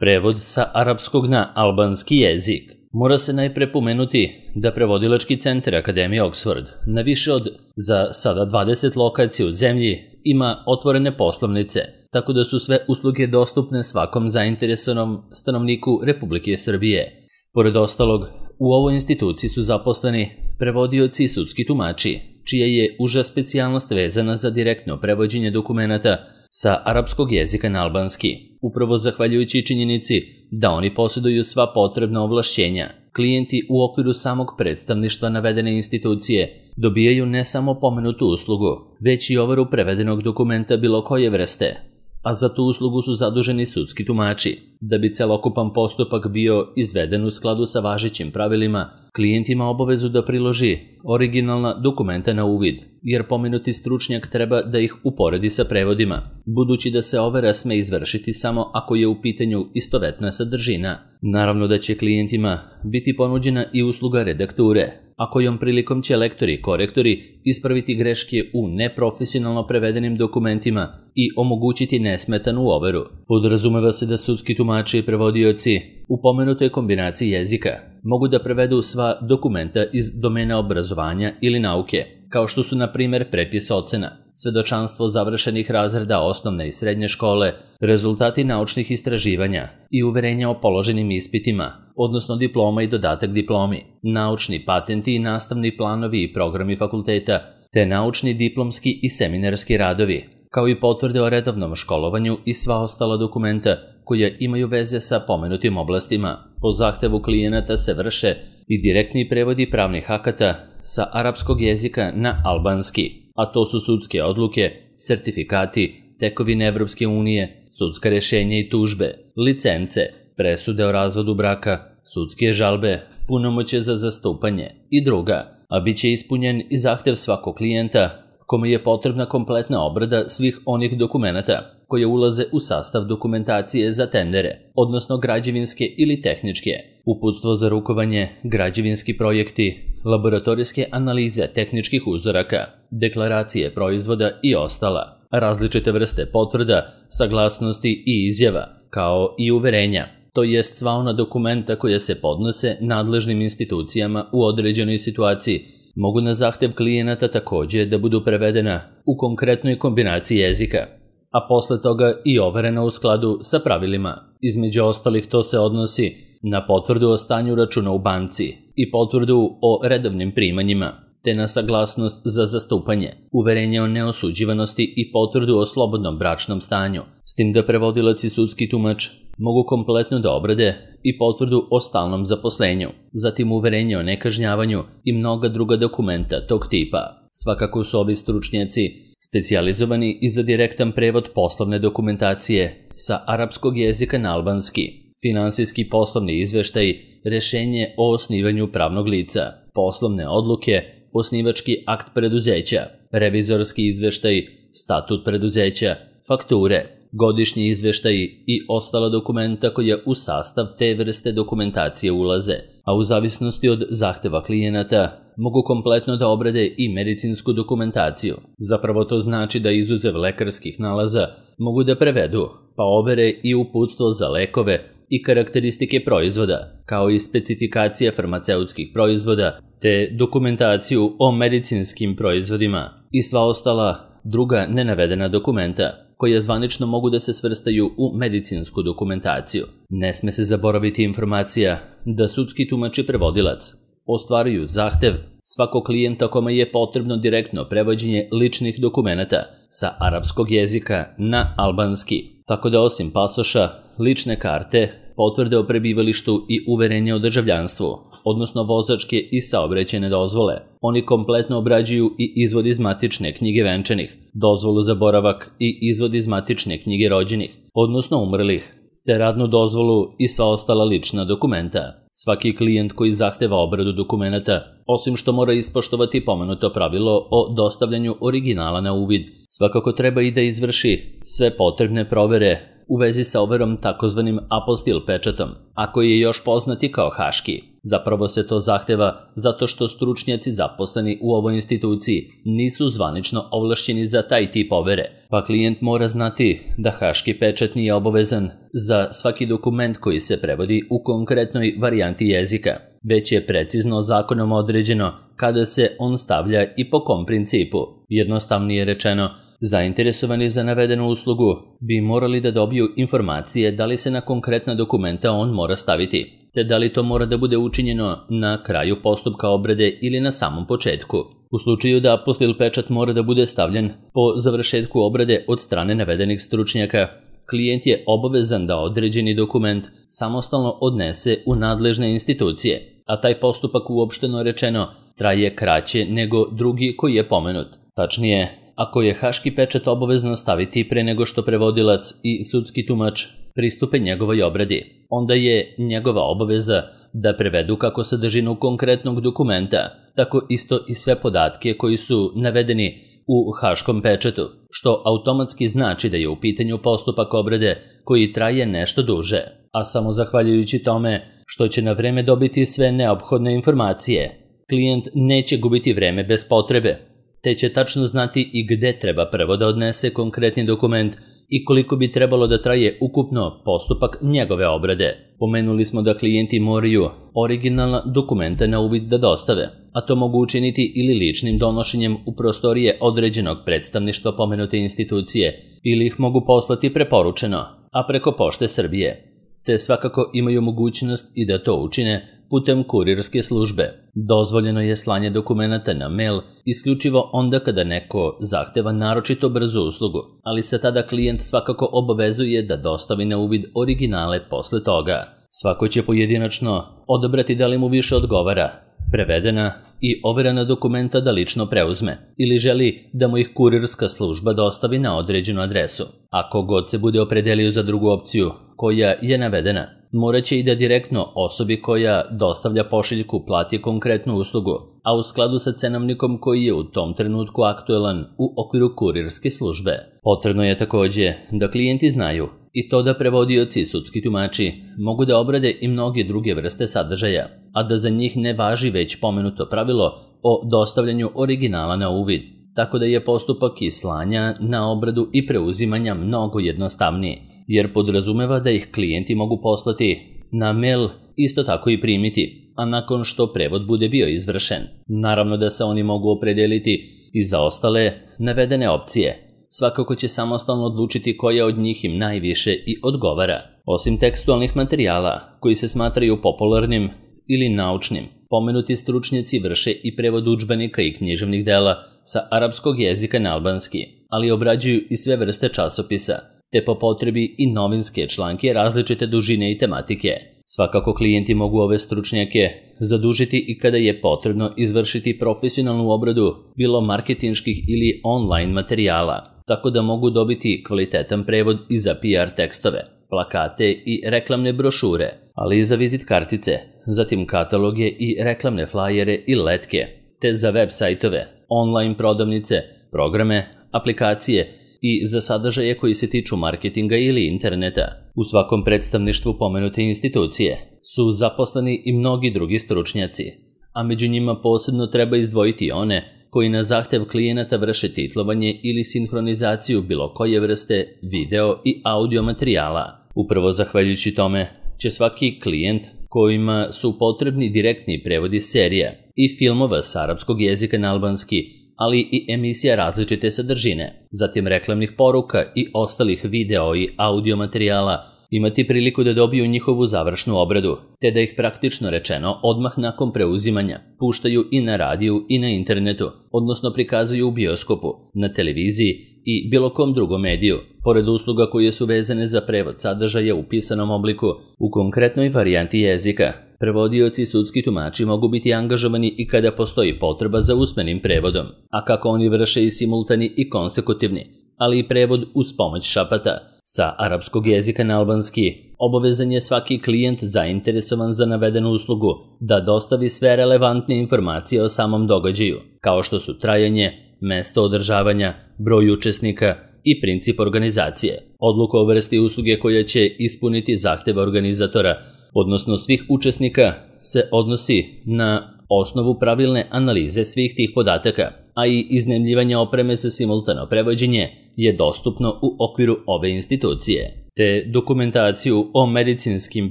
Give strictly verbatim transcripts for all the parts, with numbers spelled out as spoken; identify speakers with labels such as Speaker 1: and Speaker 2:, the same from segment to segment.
Speaker 1: Prevod sa arapskog na albanski jezik. Mora se najpre pomenuti da prevodilački centar Akademije Oxford na više od, za sada dvadeset lokacija u zemlji, ima otvorene poslovnice, tako da su sve usluge dostupne svakom zainteresovanom stanovniku Republike Srbije. Pored ostalog, u ovoj instituciji su zaposleni prevodioci i sudski tumači, čija je uža specijalnost vezana za direktno prevođenje dokumenata sa arapskog jezika na albanski, upravo zahvaljujući činjenici da oni posjeduju sva potrebna ovlašćenja. Klijenti u okviru samog predstavništva navedene institucije dobijaju ne samo pomenutu uslugu, već i overu prevedenog dokumenta bilo koje vrste, a za tu uslugu su zaduženi sudski tumači. Da bi celokupan postupak bio izveden u skladu sa važećim pravilima, klijent ima obavezu da priloži originalna dokumenta na uvid, jer pomenuti stručnjak treba da ih uporedi sa prevodima, budući da se overa sme izvršiti samo ako je u pitanju istovetna sadržina. Naravno da će klijentima biti ponuđena i usluga redakture, a kojom prilikom će lektori i korektori ispraviti greške u neprofesionalno prevedenim dokumentima i omogućiti nesmetanu overu. Podrazumeva se da sudski tumači i prevodioci u pomenutoj kombinaciji jezika mogu da prevedu sva dokumenta iz domena obrazovanja ili nauke, kao što su na primjer prepis ocena, svedočanstvo završenih razreda osnovne i srednje škole, rezultati naučnih istraživanja i uverenja o položenim ispitima, odnosno diploma i dodatak diplomi, naučni patenti i nastavni planovi i programi fakulteta, te naučni, diplomski i seminarski radovi, kao i potvrde o redovnom školovanju i sva ostala dokumenta koja imaju veze sa pomenutim oblastima. Po zahtevu klijenata se vrše i direktni prevodi pravnih akata sa arapskog jezika na albanski, a to su sudske odluke, sertifikati, tekovine Evropske unije, sudska rješenja i tužbe, licence, presude o razvodu braka, sudske žalbe, punomoćje za zastupanje i druga, a bit će ispunjen i zahtev svakog klijenta kome je potrebna kompletna obrada svih onih dokumenata koje ulaze u sastav dokumentacije za tendere, odnosno građevinske ili tehničke, uputstvo za rukovanje, građevinski projekti, laboratorijske analize tehničkih uzoraka, deklaracije proizvoda i ostala, različite vrste potvrda, saglasnosti i izjava, kao i uverenja, to jest sva ona dokumenta koja se podnose nadležnim institucijama u određenoj situaciji, mogu na zahtev klijenata također da budu prevedena u konkretnoj kombinaciji jezika, a posle toga i overena u skladu sa pravilima. Između ostalih to se odnosi na potvrdu o stanju računa u banci i potvrdu o redovnim primanjima, te na saglasnost za zastupanje, uverenje o neosuđivanosti i potvrdu o slobodnom bračnom stanju, s tim da prevodilac i sudski tumač mogu kompletno da obrade i potvrdu o stalnom zaposlenju, zatim uverenje o nekažnjavanju i mnoga druga dokumenta tog tipa. Svakako su ovi stručnjaci specijalizovani i za direktan prevod poslovne dokumentacije sa arapskog jezika na albanski, finansijski poslovni izveštaj, rješenje o osnivanju pravnog lica, poslovne odluke, osnivački akt preduzeća, revizorski izveštaj, statut preduzeća, fakture, godišnji izveštaji i ostala dokumenta koja u sastav te vrste dokumentacije ulaze, a u zavisnosti od zahteva klijenata mogu kompletno da obrade i medicinsku dokumentaciju. Zapravo to znači da izuzev lekarskih nalaza mogu da prevedu, pa overe i uputstvo za lekove i karakteristike proizvoda, kao i specifikacije farmaceutskih proizvoda, te dokumentaciju o medicinskim proizvodima i sva ostala druga nenavedena dokumenta, koja zvanično mogu da se svrstaju u medicinsku dokumentaciju. Ne sme se zaboraviti informacija da sudski tumač i prevodilac ostvaruju zahtev svakog klijenta kome je potrebno direktno prevođenje ličnih dokumenata sa arapskog jezika na albanski, tako da osim pasoša, lične karte, potvrde o prebivalištu i uverenje o državljanstvu, odnosno vozačke i saobraćajne dozvole, oni kompletno obrađuju i izvod iz matične knjige venčanih, dozvolu za boravak i izvod iz matične knjige rođenih, odnosno umrlih, te radnu dozvolu i sva ostala lična dokumenta. Svaki klijent koji zahteva obradu dokumenata, osim što mora ispoštovati pomenuto pravilo o dostavljanju originala na uvid, svakako treba i da izvrši sve potrebne provere u vezi sa overom takozvanim apostil pečatom, a koji je još poznati kao haški. Zapravo se to zahteva zato što stručnjaci zaposleni u ovoj instituciji nisu zvanično ovlašćeni za taj tip overe, pa klijent mora znati da haški pečat nije obavezan za svaki dokument koji se prevodi u konkretnoj varijanti jezika, već je precizno zakonom određeno kada se on stavlja i po kom principu. Jednostavnije rečeno, zainteresovani za navedenu uslugu bi morali da dobiju informacije da li se na konkretna dokumenta on mora staviti, te da li to mora da bude učinjeno na kraju postupka obrade ili na samom početku. U slučaju da apostil pečat mora da bude stavljen po završetku obrade od strane navedenih stručnjaka, klijent je obavezan da određeni dokument samostalno odnese u nadležne institucije, a taj postupak uopšteno rečeno traje kraće nego drugi koji je pomenut. Tačnije, ako je haški pečat obavezno staviti pre nego što prevodilac i sudski tumač pristupe njegovoj obradi, onda je njegova obaveza da prevedu kako sadržinu konkretnog dokumenta, tako isto i sve podatke koji su navedeni u haškom pečatu, što automatski znači da je u pitanju postupak obrade koji traje nešto duže, a samo zahvaljujući tome što će na vreme dobiti sve neophodne informacije, klijent neće gubiti vreme bez potrebe, te će tačno znati i gde treba prvo da odnese konkretni dokument i koliko bi trebalo da traje ukupno postupak njegove obrade. Pomenuli smo da klijenti moraju originalna dokumenta na uvid da dostave, a to mogu učiniti ili ličnim donošenjem u prostorije određenog predstavništva pomenute institucije, ili ih mogu poslati preporučeno, a preko Pošte Srbije, te svakako imaju mogućnost i da to učine putem kurirske službe. Dozvoljeno je slanje dokumenata na mail isključivo onda kada neko zahteva naročito brzu uslugu, ali se tada klijent svakako obavezuje da dostavi na uvid originale posle toga. Svako će pojedinačno odabrati da li mu više odgovara prevedena i overena dokumenta da lično preuzme, ili želi da mu ih kurirska služba dostavi na određenu adresu. Ako god se bude opredelio za drugu opciju koja je navedena, morat će i da direktno osobi koja dostavlja pošiljku plati konkretnu uslugu, a u skladu sa cenovnikom koji je u tom trenutku aktuelan u okviru kurirske službe. Potrebno je takođe da klijenti znaju i to da prevodioci i sudski tumači mogu da obrade i mnoge druge vrste sadržaja, a da za njih ne važi već pomenuto pravilo o dostavljanju originala na uvid, tako da je postupak i slanja na obradu i preuzimanja mnogo jednostavniji, jer podrazumeva da ih klijenti mogu poslati na mail, isto tako i primiti, a nakon što prevod bude bio izvršen. Naravno da se oni mogu opredeliti i za ostale navedene opcije. Svakako će samostalno odlučiti koja od njih im najviše i odgovara. Osim tekstualnih materijala, koji se smatraju popularnim ili naučnim, pomenuti stručnjaci vrše i prevod udžbenika i književnih dela sa arapskog jezika na albanski, ali obrađuju i sve vrste časopisa, te po potrebi i novinske članke različite dužine i tematike. Svakako klijenti mogu ove stručnjake zadužiti i kada je potrebno izvršiti profesionalnu obradu bilo marketinških ili online materijala, tako da mogu dobiti kvalitetan prevod i za P R tekstove, plakate i reklamne brošure, ali i za vizit kartice, zatim kataloge i reklamne flajere i letke, te za web sajtove, online prodavnice, programe, aplikacije i za sadržaje koji se tiču marketinga ili interneta. U svakom predstavništvu pomenute institucije su zaposleni i mnogi drugi stručnjaci, a među njima posebno treba izdvojiti one koji na zahtev klijenata vrše titlovanje ili sinhronizaciju bilo koje vrste video i audio materijala. Upravo zahvaljujući tome će svaki klijent kojima su potrebni direktni prevodi serija i filmova s arapskog jezika na albanski, ali i emisija različite sadržine, zatim reklamnih poruka i ostalih video i audio materijala, imati priliku da dobiju njihovu završnu obradu, te da ih praktično rečeno odmah nakon preuzimanja puštaju i na radiju i na internetu, odnosno prikazuju u bioskopu, na televiziji i bilo kom drugom mediju, pored usluga koje su vezane za prevod sadržaja u pisanom obliku u konkretnoj varijanti jezika. Prevodioci i sudski tumači mogu biti angažovani i kada postoji potreba za usmenim prevodom, a kako oni vrše i simultani i konsekutivni, ali i prevod uz pomoć šapata. Sa arapskog jezika na albanski obavezan je svaki klijent zainteresovan za navedenu uslugu da dostavi sve relevantne informacije o samom događaju, kao što su trajanje, mesto održavanja, broj učesnika i princip organizacije. Odluka o vrsti usluge koja će ispuniti zahteve organizatora, odnosno svih učesnika, se odnosi na osnovu pravilne analize svih tih podataka, a i iznajmljivanje opreme za simultano prevođenje je dostupno u okviru ove institucije, te dokumentaciju o medicinskim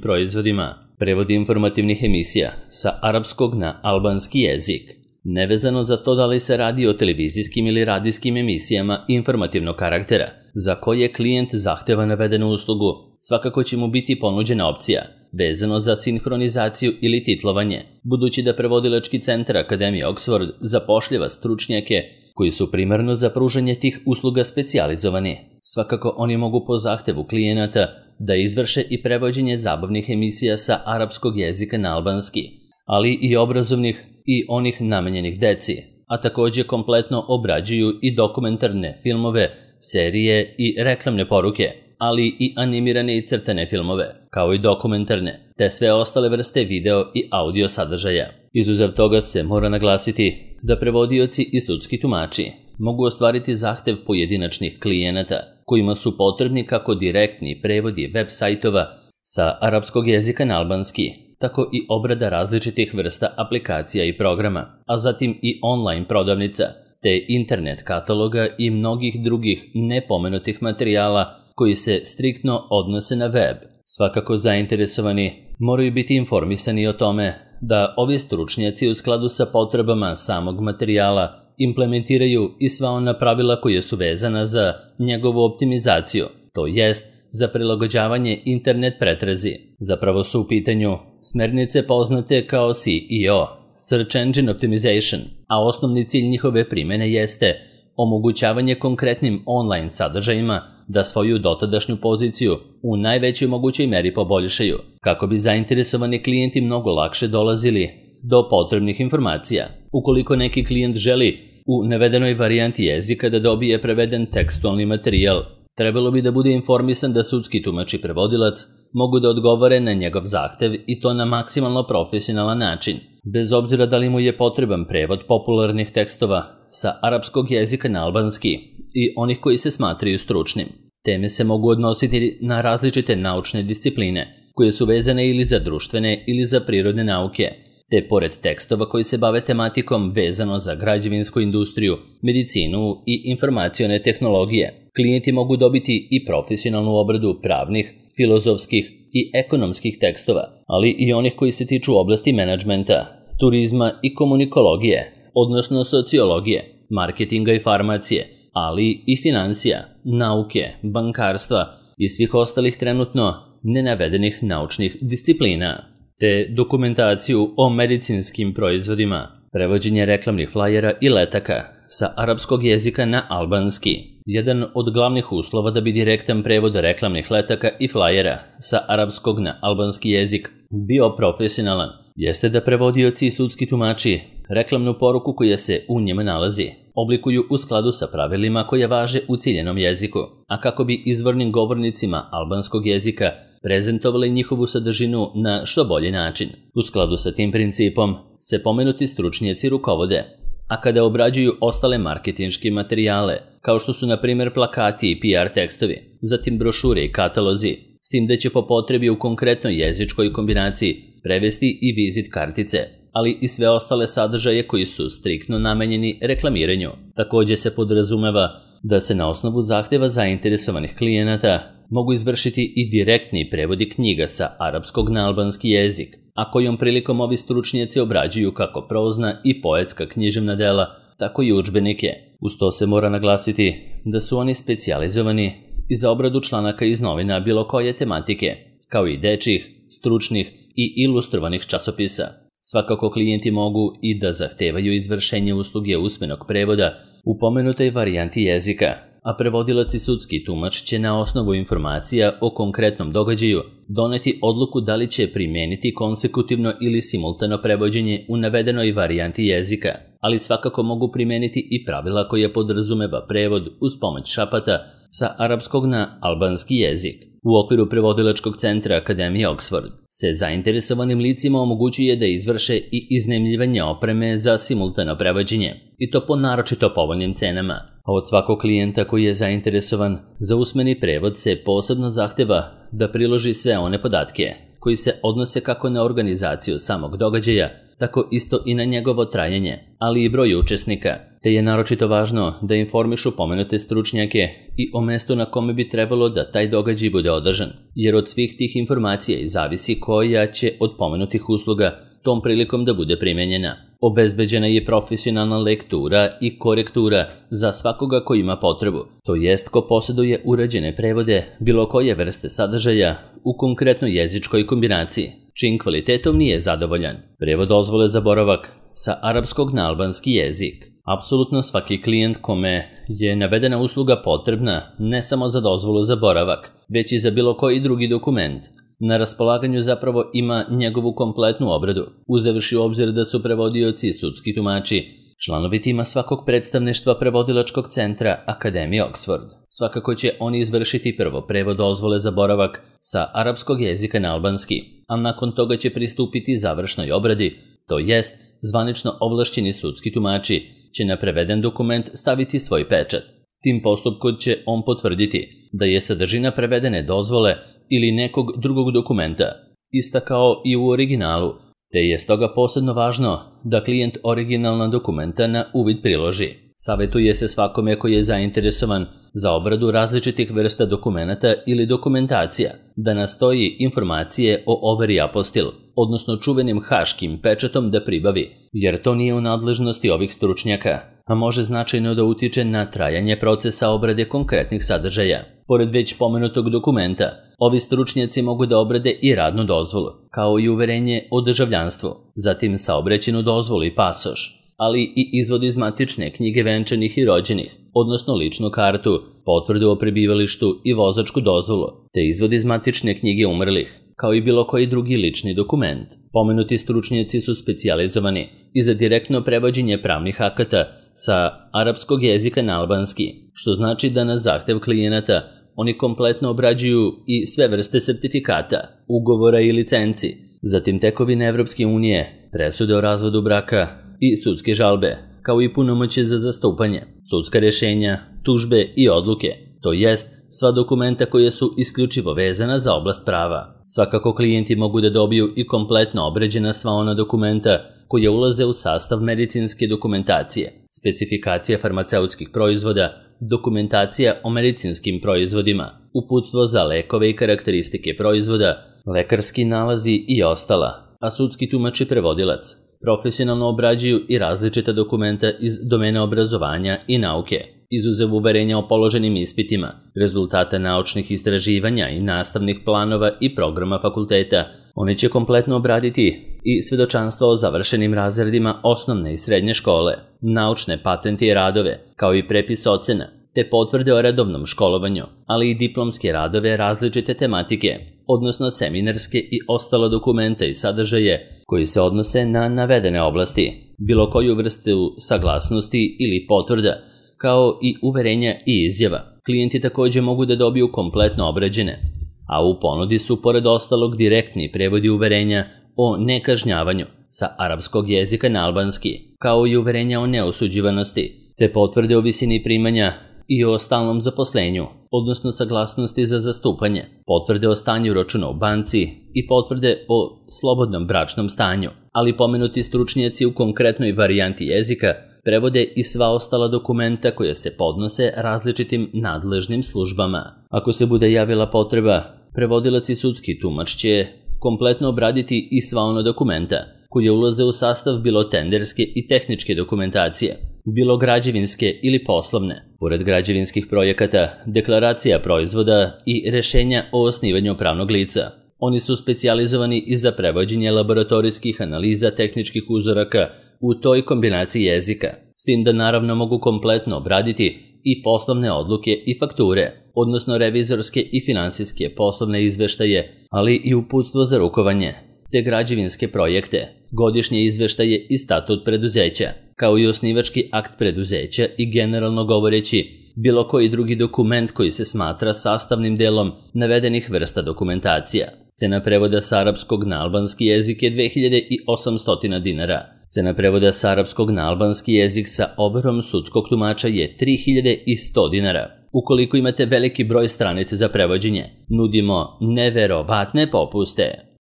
Speaker 1: proizvodima, prevod informativnih emisija sa arapskog na albanski jezik. Nevezano za to da li se radi o televizijskim ili radijskim emisijama informativnog karaktera, za koje klijent zahteva navedenu uslugu, svakako će mu biti ponuđena opcija vezano za sinhronizaciju ili titlovanje, budući da prevodilački centar Akademije Oxford zapošljava stručnjake koji su primarno za pružanje tih usluga specijalizovani. Svakako oni mogu po zahtevu klijenata da izvrše i prevođenje zabavnih emisija sa arapskog jezika na albanski, ali i obrazovnih i onih namenjenih deci, a također kompletno obrađuju i dokumentarne filmove, serije i reklamne poruke, ali i animirane i crtane filmove, kao i dokumentarne, te sve ostale vrste video i audio sadržaja. Izuzev toga se mora naglasiti da prevodioci i sudski tumači mogu ostvariti zahtev pojedinačnih klijenata, kojima su potrebni kako direktni prevodi web sajtova sa arapskog jezika na albanski, tako i obrada različitih vrsta aplikacija i programa, a zatim i online prodavnica, te internet kataloga i mnogih drugih nepomenutih materijala koji se striktno odnose na web. Svakako zainteresovani moraju biti informisani o tome da ovi stručnjaci u skladu sa potrebama samog materijala implementiraju i sva ona pravila koje su vezana za njegovu optimizaciju, to jest za prilagođavanje internet pretrazi. Zapravo su u pitanju smernice poznate kao S E O, Search Engine Optimization, a osnovni cilj njihove primjene jeste omogućavanje konkretnim online sadržajima da svoju dotadašnju poziciju u najvećoj mogućoj meri poboljšaju, kako bi zainteresovani klijenti mnogo lakše dolazili do potrebnih informacija. Ukoliko neki klijent želi u navedenoj varijanti jezika da dobije preveden tekstualni materijal, trebalo bi da bude informisan da sudski tumač i prevodilac mogu da odgovore na njegov zahtev i to na maksimalno profesionalan način, bez obzira da li mu je potreban prevod popularnih tekstova sa arapskog jezika na albanski i onih koji se smatraju stručnim. Teme se mogu odnositi na različite naučne discipline, koje su vezane ili za društvene ili za prirodne nauke, te pored tekstova koji se bave tematikom vezano za građevinsku industriju, medicinu i informacione tehnologije. Klijenti mogu dobiti i profesionalnu obradu pravnih, filozofskih i ekonomskih tekstova, ali i onih koji se tiču oblasti menadžmenta, turizma i komunikologije, odnosno sociologije, marketinga i farmacije, ali i financija, nauke, bankarstva i svih ostalih trenutno nenavedenih naučnih disciplina, te dokumentaciju o medicinskim proizvodima, prevođenje reklamnih flajera i letaka sa arapskog jezika na albanski. Jedan od glavnih uslova da bi direktan prevod reklamnih letaka i flajera sa arapskog na albanski jezik bio profesionalan, jeste da prevodioci i sudski tumači reklamnu poruku koja se u njima nalazi oblikuju u skladu sa pravilima koja važe u ciljenom jeziku, a kako bi izvornim govornicima albanskog jezika prezentovali njihovu sadržinu na što bolji način. U skladu sa tim principom se pomenuti stručnjaci rukovode, a kada obrađuju ostale marketinške materijale, kao što su na primjer plakati i P R tekstovi, zatim brošure i katalozi, s tim da će po potrebi u konkretnoj jezičkoj kombinaciji prevesti i vizit kartice, ali i sve ostale sadržaje koji su striktno namenjeni reklamiranju. Također se podrazumeva da se na osnovu zahtjeva zainteresovanih klijenata mogu izvršiti i direktni prevodi knjiga sa arapskog na albanski jezik, a kojom prilikom ovi stručnjaci obrađuju kako prozna i poetska književna dela, tako i udžbenike. Uz to se mora naglasiti da su oni specijalizovani i za obradu članaka iz novina bilo koje tematike, kao i dečjih, stručnih i ilustrovanih časopisa. Svakako klijenti mogu i da zahtevaju izvršenje usluge usmenog prevoda u pomenutoj varijanti jezika, a prevodilac i sudski tumač će na osnovu informacija o konkretnom događaju doneti odluku da li će primijeniti konsekutivno ili simultano prevođenje u navedenoj varijanti jezika, ali svakako mogu primijeniti i pravila koja podrazumeva prevod uz pomoć šapata sa arapskog na albanski jezik. U okviru prevodilačkog centra Akademije Oxford se zainteresovanim licima omogućuje da izvrše i iznajmljivanje opreme za simultano prevođenje, i to po naročito povoljnim cenama. A od svakog klijenta koji je zainteresovan za usmeni prevod se posebno zahteva da priloži sve one podatke koji se odnose kako na organizaciju samog događaja, tako isto i na njegovo trajanje, ali i broj učesnika, te je naročito važno da informišu pomenute stručnjake i o mestu na kome bi trebalo da taj događaj bude održan, jer od svih tih informacija i zavisi koja će od pomenutih usluga tom prilikom da bude primenjena. Obezbeđena je profesionalna lektura i korektura za svakoga ko ima potrebu, to jest ko posjeduje urađene prevode bilo koje vrste sadržaja u konkretnoj jezičkoj kombinaciji, čim kvalitetom nije zadovoljan. Prevod dozvole za boravak sa arapskog na albanski jezik. Apsolutno svaki klijent kome je navedena usluga potrebna ne samo za dozvolu za boravak, već i za bilo koji drugi dokument, na raspolaganju zapravo ima njegovu kompletnu obradu, uzevši u obzir da su prevodioci i sudski tumači članovi tima svakog predstavništva prevodilačkog centra Akademije Oxford. Svakako će oni izvršiti prvo prevod dozvole za boravak sa arapskog jezika na albanski, a nakon toga će pristupiti završnoj obradi, to jest zvanično ovlašćeni sudski tumači će na preveden dokument staviti svoj pečat. Tim postupkom će on potvrditi da je sadržina prevedene dozvole ili nekog drugog dokumenta ista kao i u originalu, te je stoga posebno važno da klijent originalna dokumenta na uvid priloži. Savjetuje se svakome koji je zainteresovan za obradu različitih vrsta dokumenata ili dokumentacija da nastoji informacije o overi apostil, odnosno čuvenim haškim pečatom da pribavi, jer to nije u nadležnosti ovih stručnjaka, a može značajno da utiče na trajanje procesa obrade konkretnih sadržaja. Pored već pomenutog dokumenta, ovi stručnjaci mogu da obrade i radnu dozvolu, kao i uverenje o državljanstvu, zatim saobraćajnu dozvolu i pasoš, ali i izvod iz matične knjige venčanih i rođenih, odnosno ličnu kartu, potvrdu o prebivalištu i vozačku dozvolu, te izvod iz matične knjige umrlih, kao i bilo koji drugi lični dokument. Pomenuti stručnjaci su specijalizovani i za direktno prevođenje pravnih akata sa arapskog jezika na albanski, što znači da na zahtev klijenata oni kompletno obrađuju i sve vrste sertifikata, ugovora i licenci, zatim tekovine Evropske unije, presude o razvodu braka i sudske žalbe, kao i punomoćje za zastupanje, sudska rješenja, tužbe i odluke, to jest sva dokumenta koja su isključivo vezana za oblast prava. Svakako klijenti mogu da dobiju i kompletno obrađena sva ona dokumenta koja ulaze u sastav medicinske dokumentacije, specifikacija farmaceutskih proizvoda, dokumentacija o medicinskim proizvodima, uputstvo za lekove i karakteristike proizvoda, lekarski nalazi i ostala, a sudski tumač i prevodilac profesionalno obrađuju i različita dokumenta iz domena obrazovanja i nauke, izuzev uverenja o položenim ispitima, rezultata naučnih istraživanja i nastavnih planova i programa fakulteta. Oni će kompletno obraditi i svedočanstva o završenim razredima osnovne i srednje škole, naučne patente i radove, kao i prepis ocena, te potvrde o redovnom školovanju, ali i diplomske radove različite tematike, odnosno seminarske i ostalo dokumenta i sadržaje koji se odnose na navedene oblasti, bilo koju vrstu saglasnosti ili potvrda, kao i uverenja i izjava. Klijenti također mogu da dobiju kompletno obrađene, a u ponudi su pored ostalog direktni prevodi uverenja o nekažnjavanju sa arapskog jezika na albanski, kao i uverenja o neosuđivanosti, te potvrde o visini primanja i o stalnom zaposlenju, odnosno saglasnosti za zastupanje, potvrde o stanju računa u banci i potvrde o slobodnom bračnom stanju, ali pomenuti stručnjaci u konkretnoj varijanti jezika prevode i sva ostala dokumenta koja se podnose različitim nadležnim službama. Ako se bude javila potreba, prevodilac i sudski tumač će kompletno obraditi i sva ona dokumenta koje ulaze u sastav bilo tenderske i tehničke dokumentacije, bilo građevinske ili poslovne. Pored građevinskih projekata, deklaracija proizvoda i rešenja o osnivanju pravnog lica, oni su specijalizovani i za prevođenje laboratorijskih analiza tehničkih uzoraka u toj kombinaciji jezika, s tim da naravno mogu kompletno obraditi i poslovne odluke i fakture, odnosno revizorske i finansijske poslovne izveštaje, ali i uputstvo za rukovanje, te građevinske projekte, godišnje izveštaje i statut preduzeća, kao i osnivački akt preduzeća i generalno govoreći bilo koji drugi dokument koji se smatra sastavnim delom navedenih vrsta dokumentacija. Cena prevoda sa arapskog na albanski jezik je dve hiljade osamsto dinara. Cena prevoda sa arapskog na albanski jezik sa overom sudskog tumača je tri hiljade sto dinara. Ukoliko imate veliki broj stranica za prevođenje, nudimo neverovatne popuste.